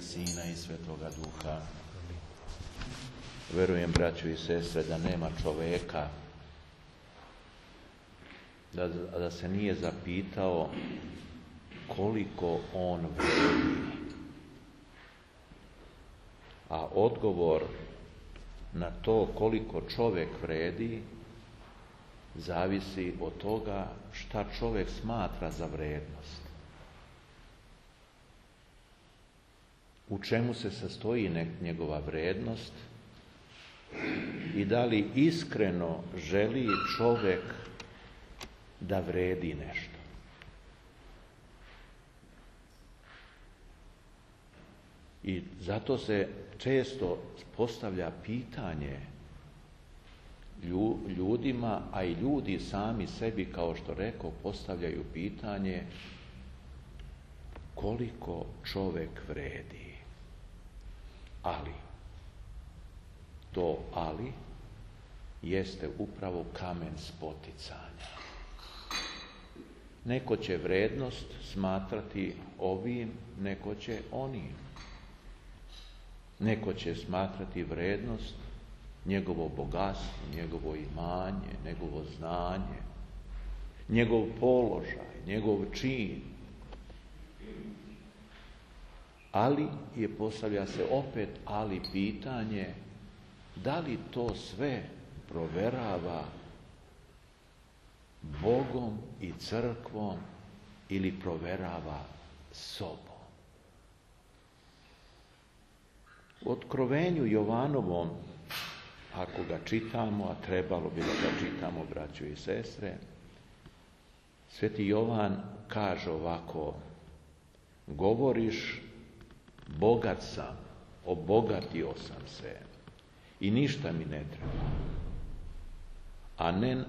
Sina i Svetoga Duha. Verujem, braćo i sestre, da nema čoveka da se nije zapitao koliko on vredi. A odgovor na to koliko čovjek vredi zavisi od toga šta čovjek smatra za vrednost. U čemu se sastoji njegova vrednost i da li iskreno želi čovjek da vredi nešto. I zato se često postavlja pitanje ljudima, a i ljudi sami sebi, kao što rekao, postavljaju pitanje koliko čovjek vredi. Ali, to ali jeste upravo kamen spoticanja. Neko će vrednost smatrati ovim, neko će onim. Neko će smatrati vrednost njegovo bogatstvo, njegovo imanje, njegovo znanje, njegov položaj, njegov čin. Ali postavlja se opet pitanje da li to sve proverava Bogom i crkvom ili proverava sobom. U Otkrovenju Jovanovom, ako ga čitamo, a trebalo bi da ga čitamo, braćo i sestre, Sveti Jovan kaže ovako: govoriš, bogat sam, obogatio sam se i ništa mi ne treba.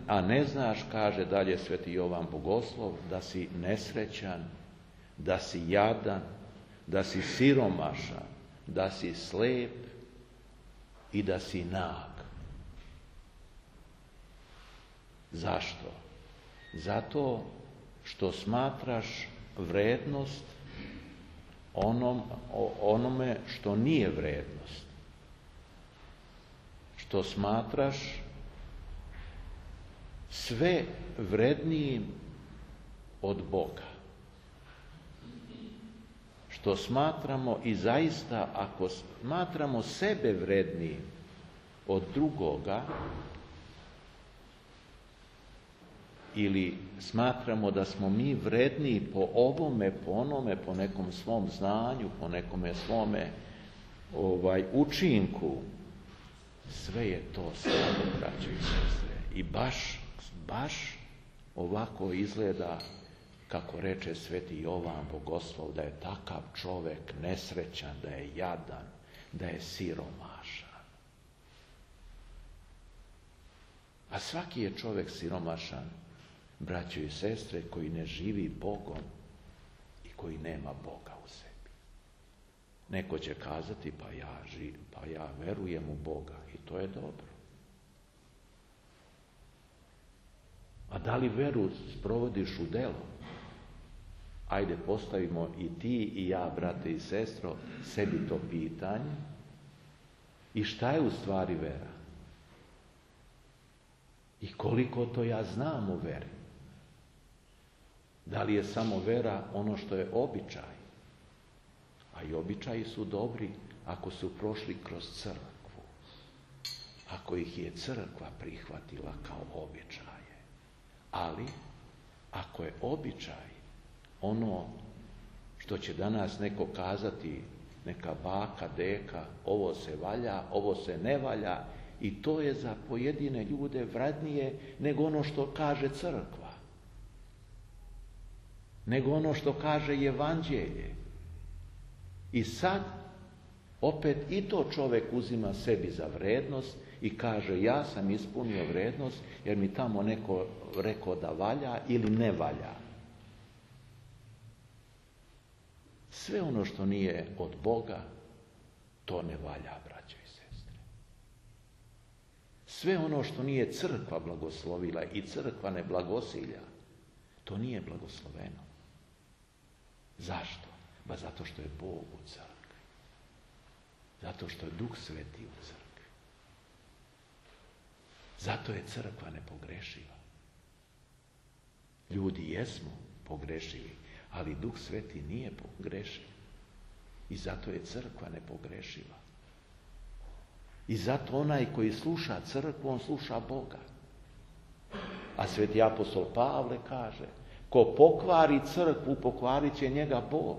A ne znaš, kaže dalje Sveti Jovan Bogoslov, da si nesrećan, da si jadan, da si siromašan, da si slep i da si nag. Zašto? Zato što smatraš vrednost onome što nije vrednost. Što smatraš sve vrednijim od Boga. Što smatramo, i zaista ako smatramo sebe vrednijim od drugoga, ili smatramo da smo mi vredniji po ovome, po onome, po nekom svom znanju, po nekome svome učinku, sve je to slabo, braćo i sestre. I baš ovako izgleda, kako reče Sveti Jovan Bogoslov, da je takav čovjek nesrećan, da je jadan, da je siromašan. A svaki je čovjek siromašan, braćo i sestre, koji ne živi Bogom i koji nema Boga u sebi. Neko će kazati, pa ja verujem u Boga i to je dobro. A da li veru sprovodiš u delo? Ajde, postavimo i ti i ja, brate i sestro, sebi to pitanje. I šta je u stvari vera? I koliko to ja znam u veri? Da li je samo vera ono što je običaj? A i običaji su dobri ako su prošli kroz crkvu. Ako ih je crkva prihvatila kao običaje. Ali, ako je običaj ono što će danas neko kazati, neka baka, deka, ovo se valja, ovo se ne valja, i to je za pojedine ljude vrednije nego ono što kaže crkva, nego ono što kaže evanđelje. I sad opet i to čovjek uzima sebi za vrednost i kaže, ja sam ispunio vrednost jer mi tamo neko rekao da valja ili ne valja. Sve ono što nije od Boga, to ne valja, braćo i sestre. Sve ono što nije crkva blagoslovila i crkva ne blagosilja, to nije blagosloveno. Zašto? Zato što je Bog u crkvi. Zato što je Duh Sveti u crkvi. Zato je crkva nepogrešiva. Ljudi jesmo pogrešivi, ali Duh Sveti nije pogrešiv. I zato je crkva nepogrešiva. I zato onaj koji sluša crkvu, on sluša Boga. A sveti apostol Pavle kaže, ko pokvari crkvu, pokvarit će njega Bog.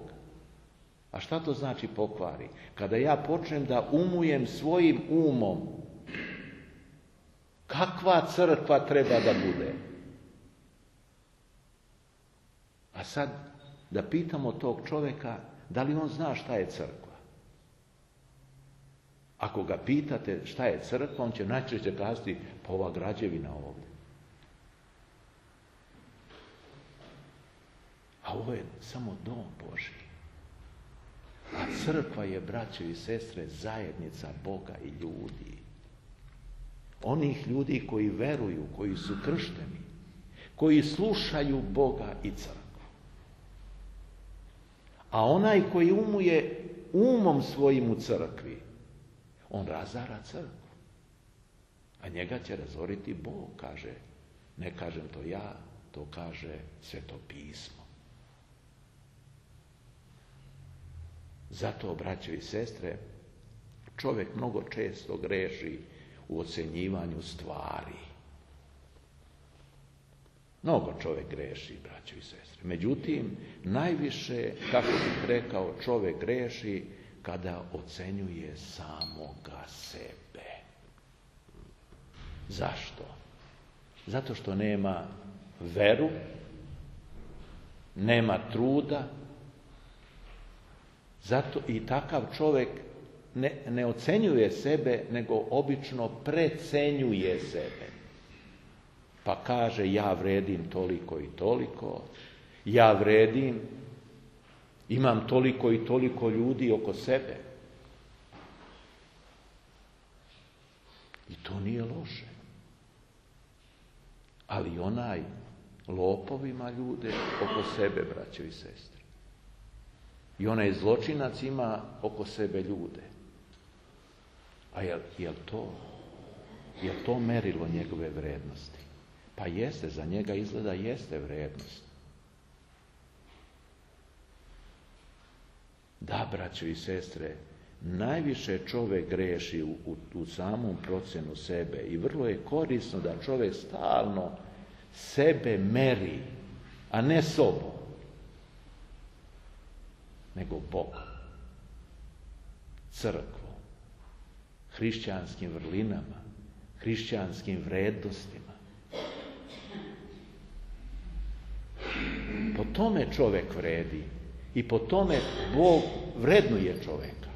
A šta to znači pokvari? Kada ja počnem da umujem svojim umom, kakva crkva treba da bude? A sad da pitamo tog čovjeka, da li on zna šta je crkva? Ako ga pitate šta je crkva, on će najčešće kazati, pa ova građevina ovdje. A ovo je samo dom Božji. A crkva je, braćo i sestre, zajednica Boga i ljudi. Onih ljudi koji veruju, koji su kršteni, koji slušaju Boga i crkvu. A onaj koji umuje umom svojim u crkvi, on razara crkvu. A njega će razoriti Bog, kaže. Ne kažem to ja, to kaže Sveto pismo. Zato, braćo i sestre, čovjek mnogo često greši u ocjenjivanju stvari. Mnogo čovjek greši, braćo i sestre. Međutim, najviše, kako bih rekao, čovjek greši kada ocenjuje samoga sebe. Zašto? Zato što nema veru, nema truda. Zato i takav čovjek ne ocenjuje sebe, nego obično precenjuje sebe. Pa kaže, ja vredim toliko i toliko, ja vredim, imam toliko i toliko ljudi oko sebe. I to nije loše. Ali onaj lopov ima ljude oko sebe, braćo i sestre. I onaj zločinac ima oko sebe ljude. A je to merilo njegove vrednosti? Pa jeste, za njega izgleda jeste vrednost. Da, braćo i sestre, najviše čovjek greši u samom procjenu sebe i vrlo je korisno da čovjek stalno sebe meri, a ne sobom, nego Bogom, crkvom, hrišćanskim vrlinama, hrišćanskim vrednostima. Po tome čovjek vredi i po tome Bog vrednuje čovjeka.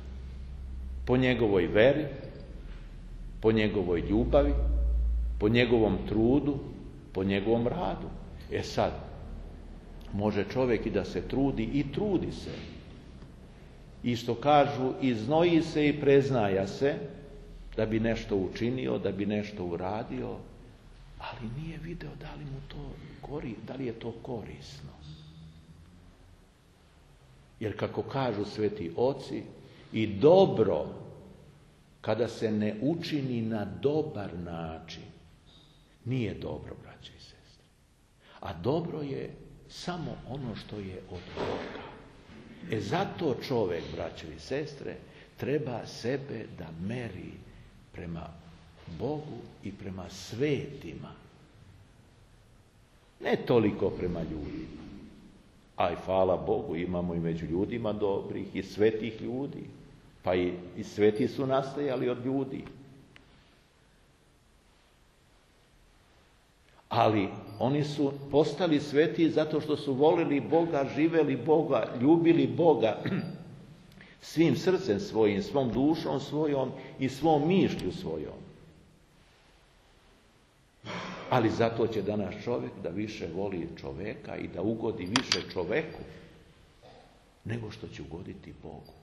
Po njegovoj veri, po njegovoj ljubavi, po njegovom trudu, po njegovom radu. E sad, može čovjek i da se trudi i trudi se. I što kažu, iznoji se i preznaja se da bi nešto učinio, da bi nešto uradio, ali nije video da li je to korisno. Jer kako kažu sveti oci, i dobro kada se ne učini na dobar način, nije dobro, braće i sestre. A dobro je samo ono što je od Boga. Zato čovjek, braće i sestre, treba sebe da meri prema Bogu i prema svetima. Ne toliko prema ljudima. A i hvala Bogu, imamo i među ljudima dobrih i svetih ljudi. Pa i sveti su nastajali od ljudi. Ali oni su postali sveti zato što su volili Boga, živeli Boga, ljubili Boga svim srcem svojim, svom dušom svojom i svom mišlju svojom. Ali zato će danas čovjek da više voli čovjeka i da ugodi više čovjeku nego što će ugoditi Bogu.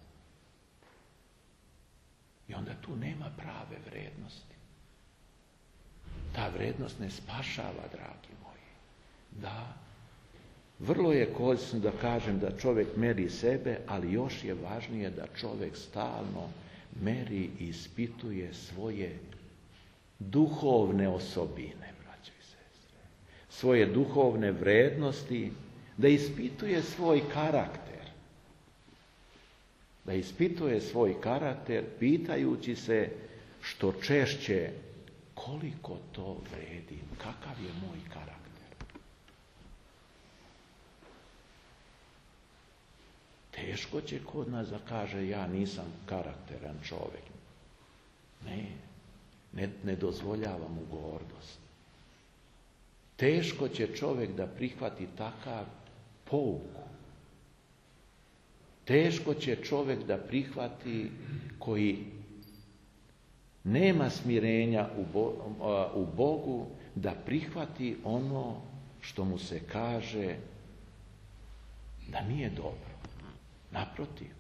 I onda tu nema prave vrednosti. Ta vrednost ne spašava, dragi moji. Da, vrlo je korisno da kažem da čovjek meri sebe, ali još je važnije da čovjek stalno meri i ispituje svoje duhovne osobine, braćo i sestre, svoje duhovne vrednosti, da ispituje svoj karakter. Da ispituje svoj karakter pitajući se što češće koliko to vredi, kakav je moj karakter. Teško će kod nas da kaže ja nisam karakteran čovjek. Ne dozvoljavam mu gordost. Teško će čovjek da prihvati takav pouku. Teško će čovjek da prihvati koji nema smirenja u Bogu, da prihvati ono što mu se kaže da nije dobro. Naprotiv,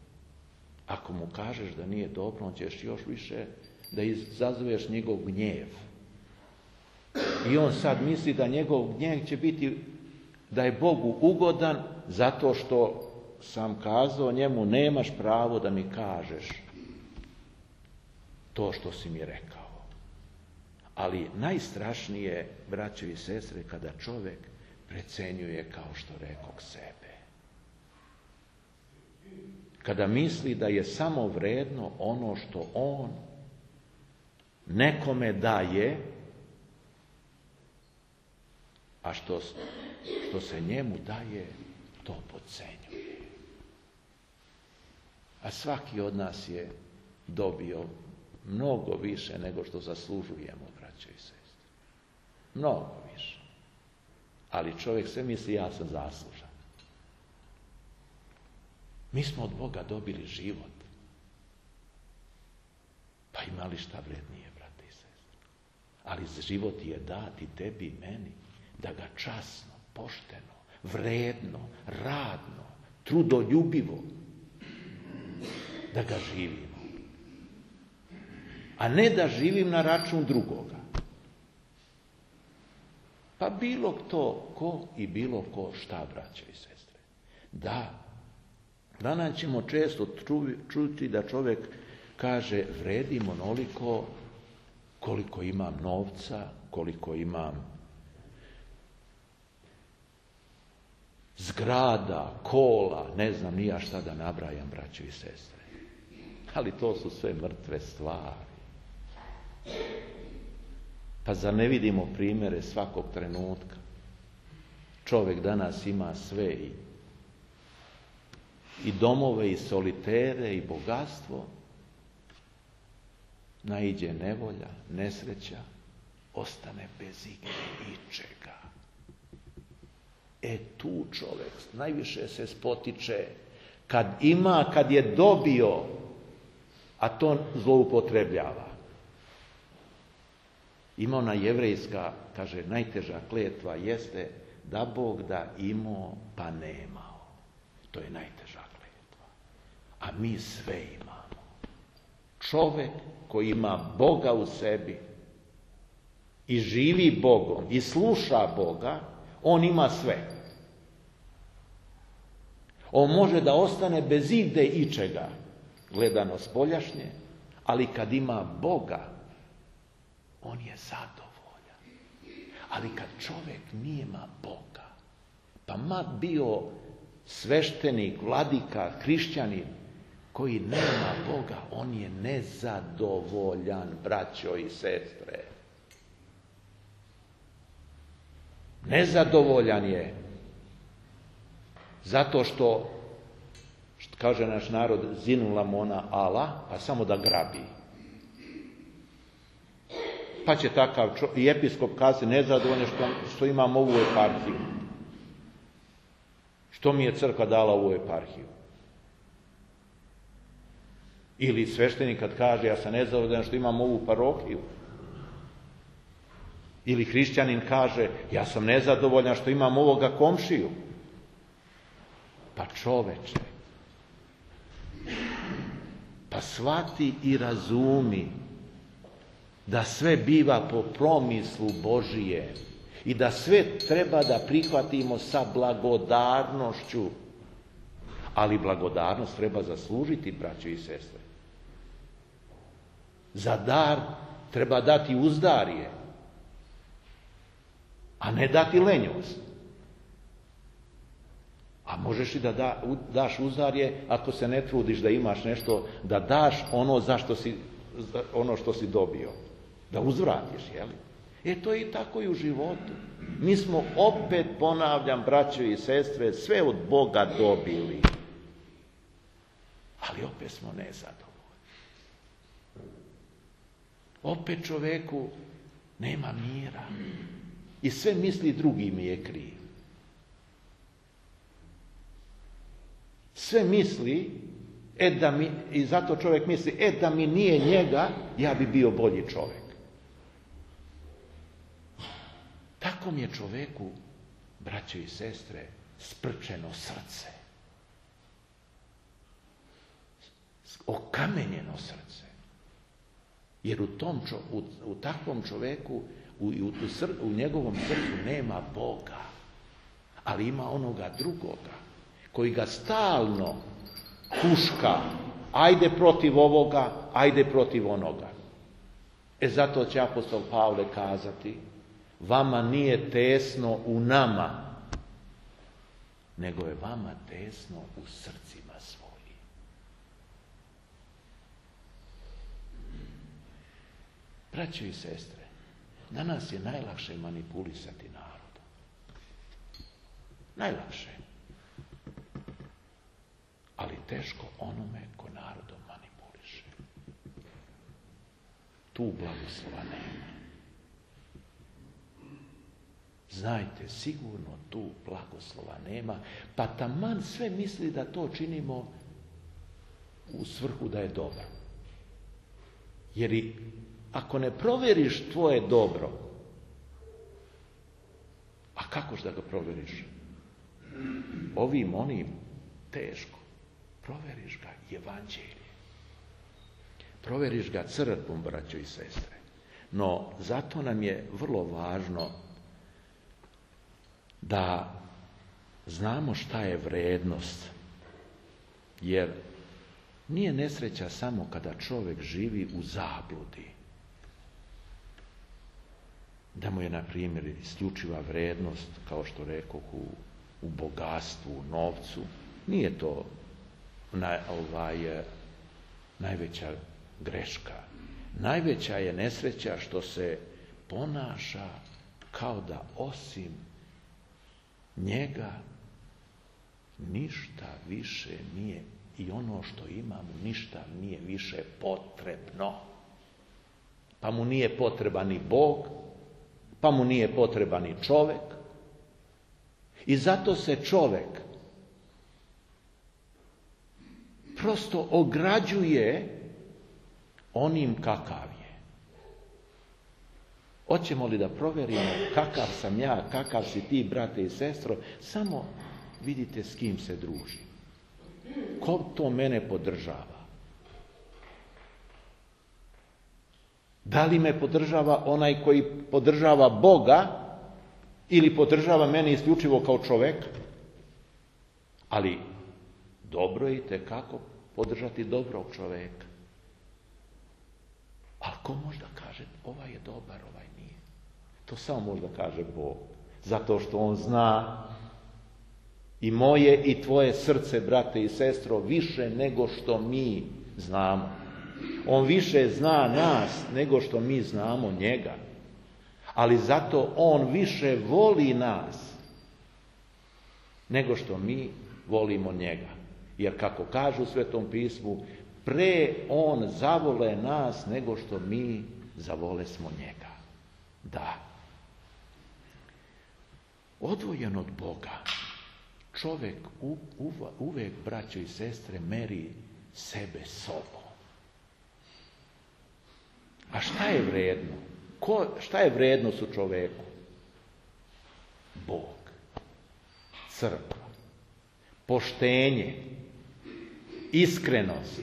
ako mu kažeš da nije dobro, on ćeš još više da izazoveš njegov gnjev. I on sad misli da njegov gnjev će biti da je Bogu ugodan zato što sam kazao njemu nemaš pravo da mi kažeš to što si mi rekao. Ali najstrašnije, braćo i sestre, kada čovjek precenjuje, kao što rekoh, sebe. Kada misli da je samo vredno ono što on nekome daje, a što se njemu daje, to podcenjuje. A svaki od nas je dobio mnogo više nego što zaslužujemo, braćo i sestre. Mnogo više. Ali čovjek sve misli ja sam zaslužan. Mi smo od Boga dobili život. Pa ima li šta vrednije, brate i sestre? Ali život je dati tebi i meni, da ga časno, pošteno, vredno, radno, trudoljubivo, da ga živimo. A ne da živim na račun drugoga. Pa bilo to ko i bilo ko šta, braćo i sestre. Danas ćemo često čuti da čovjek kaže vredim onoliko koliko imam novca, koliko imam zgrada, kola, ne znam ni ja šta da nabrajam, braćo i sestre. Ali to su sve mrtve stvari. Pa zar ne vidimo primjere svakog trenutka? Čovjek danas ima sve i domove, i solitere, i bogatstvo. Naiđe nevolja, nesreća, ostane bez ičega. Tu čovjek najviše se spotiče kad je dobio, a to zloupotrebljava. Ima ona jevrejska, kaže, najteža kletva jeste da Bog da imao pa nemao. To je najteža kletva. A mi sve imamo. Čovjek koji ima Boga u sebi i živi Bogom i sluša Boga, on ima sve. On može da ostane bez ičega, gledano spoljašnje, ali kad ima Boga, on je zadovoljan. Ali kad čovjek nema Boga, pa ma bio sveštenik, vladika, hrišćanin, koji nema Boga, on je nezadovoljan, braćo i sestre. Nezadovoljan je. Zato što kaže naš narod, zinula mona ala, pa samo da grabi. Pa će takav i episkop kazati nezadovoljan što imam ovu eparhiju. Što mi je crkva dala ovu eparhiju? Ili sveštenik kad kaže ja sam nezadovoljan što imam ovu parohiju. Ili hrišćanin kaže ja sam nezadovoljan što imam ovoga komšiju. Pa čoveče, pa shvati i razumi da sve biva po promislu Božije i da sve treba da prihvatimo sa blagodarnošću. Ali blagodarnost treba zaslužiti, braćo i sestre. Za dar treba dati uzdarje, a ne dati lenjost. A možeš i da daš uzdarje ako se ne trudiš da imaš nešto, da daš ono što si dobio. Da uzvratiš, jeli? To je i tako i u životu. Mi smo opet, ponavljam, braćo i sestre, sve od Boga dobili. Ali opet smo nezadovoljni. Opet čoveku nema mira. I sve misli drugi mi je kriv. Sve misli, i zato čovjek misli, da mi nije njega, ja bi bio bolji čovjek. Tako mi je čovjeku, braćo i sestre, sprčeno srce. Okamenjeno srce. Jer u takvom čovjeku, u njegovom srcu nema Boga, ali ima onoga drugoga, koji ga stalno huška, ajde protiv ovoga, ajde protiv onoga. Zato će apostol Pavle kazati, vama nije tesno u nama, nego je vama tesno u srcima svojim. Braćo i sestre, danas je najlakše manipulisati narodom. Najlakše. Ali teško onome ko narodom manipuliše. Tu blagoslova nema. Znajte, sigurno tu blagoslova nema, pa taman sve misli da to činimo u svrhu da je dobro. Jer ako ne provjeriš tvoje dobro, a kakoš da ga provjeriš? Ovim, onim, teško. Provjeriš ga evanđeljem. Provjeriš ga crkvom, braćo i sestre. No, zato nam je vrlo važno da znamo šta je vrednost. Jer nije nesreća samo kada čovjek živi u zabludi. Da mu je, na primjer, isključiva vrednost, kao što rekoh, u bogatstvu, u novcu. Nije to najveća greška. Najveća je nesreća što se ponaša kao da osim njega ništa više nije, i ono što imamo ništa nije više potrebno. Pa mu nije potreban ni Bog, pa mu nije potreban ni čovjek. I zato se čovjek prosto ograđuje onim kakav je. Hoćemo li da provjerimo kakav sam ja, kakav si ti, brate i sestro, samo vidite s kim se druži. Ko to mene podržava? Da li me podržava onaj koji podržava Boga ili podržava mene isključivo kao čovjek? Ali dobro je itekako podržati dobrog čovjeka. Ali ko možda kaže ovaj je dobar, ovaj nije? To samo možda kaže Bog. Zato što on zna i moje i tvoje srce, brate i sestro, više nego što mi znamo. On više zna nas nego što mi znamo njega. Ali zato on više voli nas nego što mi volimo njega. Jer kako kažu u Svetom pismu, pre on zavole nas nego što mi zavole smo njega. Da. Odvojen od Boga, čovjek uvek, braćo i sestre, meri sebe sobom. A šta je vredno? Šta je vrednost u čovjeku? Bog, crkva, poštenje, iskrenost,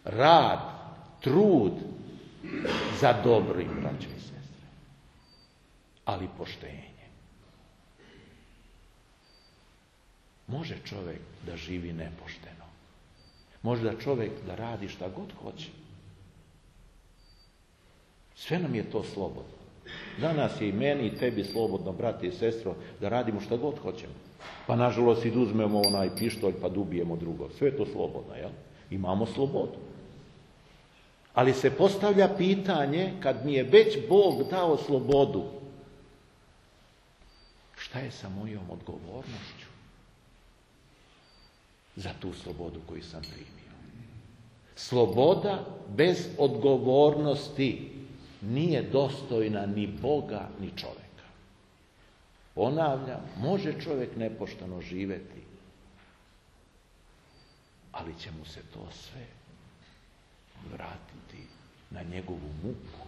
rad, trud za dobro, braćo i sestre. Ali poštenje. Može čovjek da živi nepošteno. Može da čovjek da radi šta god hoće. Sve nam je to slobodno. Danas je i meni i tebi slobodno, brate i sestro, da radimo šta god hoćemo. Pa nažalost i da uzmemo onaj pištolj pa da ubijemo drugog. Sve je to slobodno, jel? Imamo slobodu. Ali se postavlja pitanje, kad mi je već Bog dao slobodu, šta je sa mojom odgovornošću za tu slobodu koju sam primio? Sloboda bez odgovornosti nije dostojna ni Boga, ni čovjeka. Ponavljam, može čovjek nepošteno živjeti, ali će mu se to sve vratiti na njegovu muku.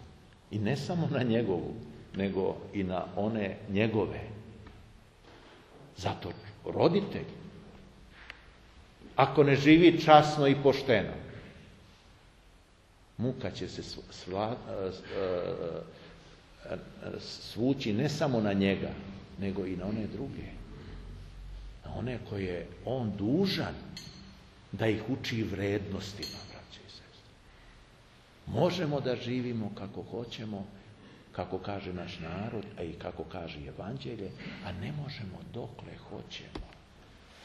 I ne samo na njegovu, nego i na one njegove. Zato roditelj, ako ne živi časno i pošteno, muka će se svući ne samo na njega, nego i na one druge. Na one koje on dužan da ih uči vrednostima, braće i sestre. Možemo da živimo kako hoćemo, kako kaže naš narod, a i kako kaže Evanđelje, a ne možemo dokle hoćemo.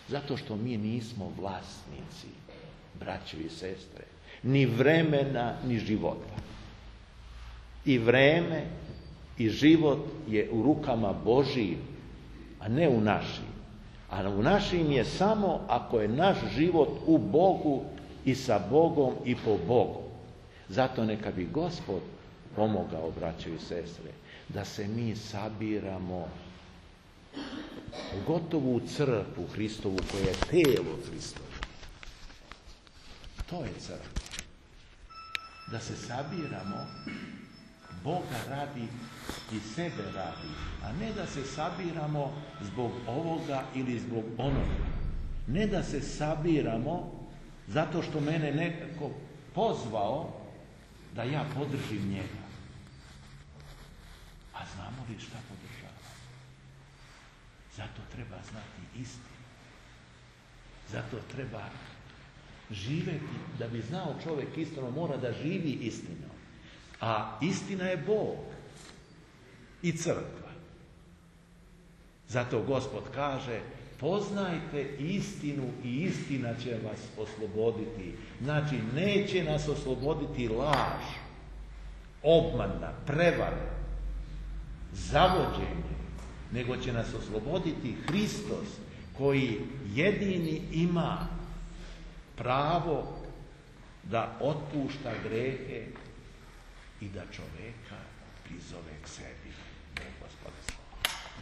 Zato što mi nismo vlasnici, braće i sestre, ni vremena, ni života. I vreme i život je u rukama Božijim, a ne u našim. A u našim je samo ako je naš život u Bogu i sa Bogom i po Bogu. Zato neka bi Gospod pomogao, braćo i sestre, da se mi sabiramo, pogotovo u crkvu Hristovu, koja je telo Hristovo. To je crkva. Da se sabiramo Boga radi i sebe radi, a ne da se sabiramo zbog ovoga ili zbog onoga. Ne da se sabiramo zato što mene nekako pozvao da ja podržim njega. A znamo li šta podržava? Zato treba znati istinu. Zato treba živjeti. Da bi znao čovjek istinu, mora da živi istinom. A istina je Bog i crkva. Zato Gospod kaže, poznajte istinu i istina će vas osloboditi. Znači, neće nas osloboditi laž, obmana, prevara, zavođenje, nego će nas osloboditi Hristos, koji jedini ima pravo da otpušta grehe i da čoveka prizove k sebi.